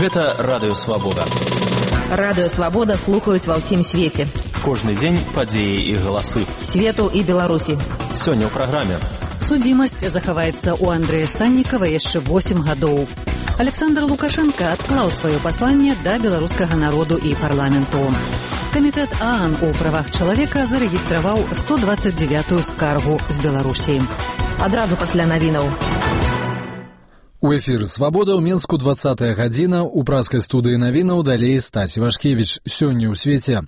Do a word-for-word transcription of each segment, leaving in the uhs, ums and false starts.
Гэта Радыё Свабода. Радыё Свабода слухаюць ва ўсім свеце. Кожны дзень падзеі і галасы. Свету і Беларусі. Сёння ў праграме. Судзімасць захаваецца ў Андрэя Саннікава яшчэ восем гадоў. Александр Лукашенко адклаў сваё пасланне да беларускага народу і парламенту. Камітэт ААН у правах чалавека зарэгістраваў сто дваццаць дзевятую скаргу з Беларусі. Адразу пасля навінаў. У эфір «Свабода» ў Менску двадцатая гадзіна, у праскай студыі навінаў далей Стась Івашкевіч. Сёння ў свеце.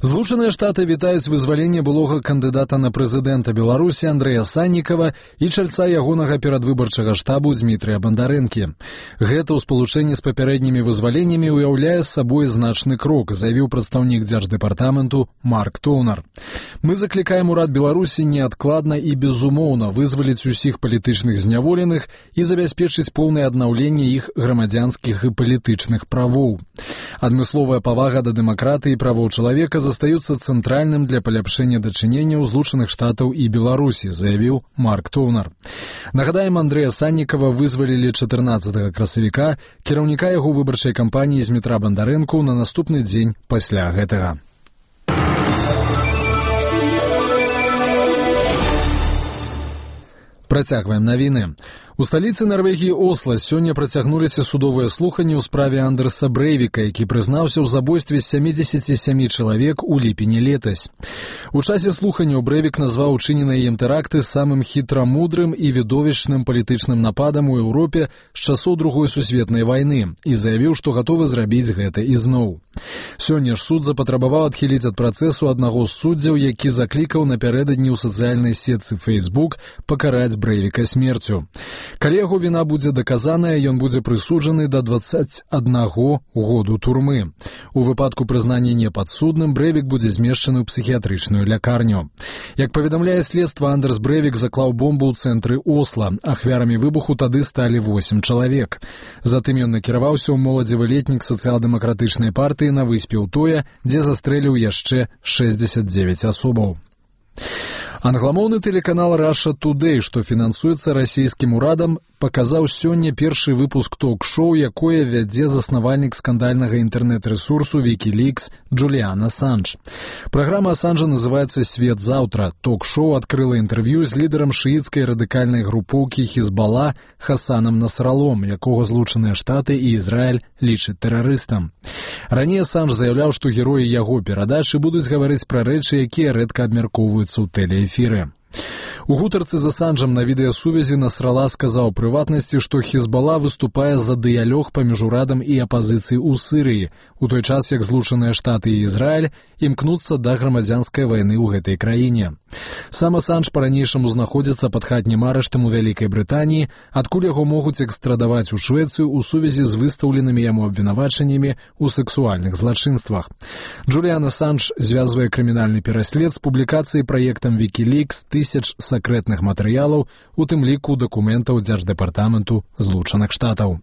Злучаныя Штаты вітаюць вызваленне былога кандыдата на прэзідэнта Беларусі Андрэя Саннікава і чальца ягонага перадвыбарчага штабу Дзмітрыя Бандарэнкі. Гэта ў спалучэнні з папярэднімі вызваленнямі ўяўляе сабой значны крок, заявіў прадстаўнік дзярждэпартаменту Марк Тоўнар. Мы заклікаем урад Беларусі неадкладна і безумоўна вызваліць усіх палітычных зняволеных і забяспечыць поўнае аднаўленне іх грамадзянскіх і палітычных правоў. Адмысловая павага да дэмакратыі і правоў чалавека застаюцца цэнтральным для паляпшэння дачыненняў Злучаных Штатаў і Беларусі, заявіў Марк Тоўнар. Нагадаем, Андрэя Саннікава вызвалілі чатырнаццатага красавіка, кіраўніка яго выбарчай кампаніі Дзмітра Бандарэнку на наступны дзень пасля гэтага. Працягваем навіны. У сталіцы Нарвегіі Осла сёння працягнуліся судовыя слуханні ў справе Андерса Брэйвіка, які прызнаўся ў забойстве сямідзесяці сямі чалавек у ліпені летась. У часе слуханняў Брэйвік назваў учыненыя ім тэракты самым хітрамудрым і відовішчным палітычным нападам у Еўропе з часоў Другой сусветнай вайны і заявіў, што гатовы зрабіць гэта ізноў. Сёння ж суд запатрабаваў адхіліць ад працэсу аднаго з суддзяў, які заклікаў напярэдадні ў сацыяльнай сетцы Facebook пакараць Брэйвіка смерцю. Калі яго віна будзе даказаная, ён будзе прысуджаны да дваццаць аднаго году турмы. У выпадку прызнання непадсудным Брэйвік будзе змешчаны ў псіхіятрычную лякарню. Як паведамляе следства, Андерс Брэйвік заклаў бомбу ў цэнтры Осла. Ахвярамі выбуху тады сталі восем чалавек. Затым ён накіраваўся ў моладзевы летнік сацыял-дэмакратычнай партыі на выспе Утоя, дзе застрэліў яшчэ шэсцьдзесят дзевяць асобаў. Англамоўны тэлеканал Russia Today, што фінансуецца расійскім урадам, паказаў сёння першы выпуск ток-шоу, якое вядзе заснавальнік скандальнага інтэрнэт-рэсурсу Wikileaks Джуліан Асанж. Праграма Асанжа называецца «Свет заўтра». Ток-шоу адкрыла інтэрв'ю з лідарам шыіцкай радыкальнай групоўкі Хізбала Хасанам Насралом, якога Злучаныя Штаты і Ізраіль лічаць тэрарыстам. Раней Асанж заяўляў, што героі яго перадачы будуць гаварыць пра рэчы, якія рэдка абмяркоўваюцца ў тэлеэфіры. У гутарцы з Асанжам на відэасувязі Насрала сказаў прыватнасці, што Хізбала выступае за дыялог паміж урадам і апазіцыяй у Сірыі, у той час як Злучаныя Штаты і Ізраіль імкнуцца да грамадзянскай вайны ў гэтай краіне. Сам Асанж па-ранейшаму знаходзіцца пад хатнім арыштам у Вялікай Брытаніі, адкуль яго могуць экстрадаваць у Швецыю ў сувязі з выстаўленымі яму абвінавачаннямі ў сексуальных злачынствах. Джуліан Асанж звязвае крымінальны пераслед з публікацыяй праектам Wikileaks тысяч сакрэтных матэрыялаў, у тым ліку дакументаў Дзярждэпартаменту Злучаных Штатаў.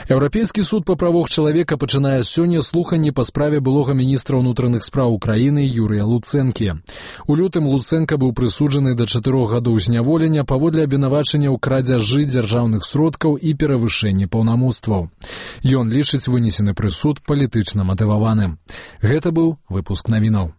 Еўрапейскі суд па правах чалавека пачынае сёння слуханні па справе былога міністра ўнутраных спраў Украіны Юрыя Луцэнкі. У лютым Луцэнка быў прысуджаны да чатырох гадоў зняволення паводле абвінавачання ў крадзяжы дзяржаўных сродкаў і перавышэнні паўнамоцтваў. Ён лічыць вынесены прысуд палітычна матываваным. Гэта быў выпуск навінаў.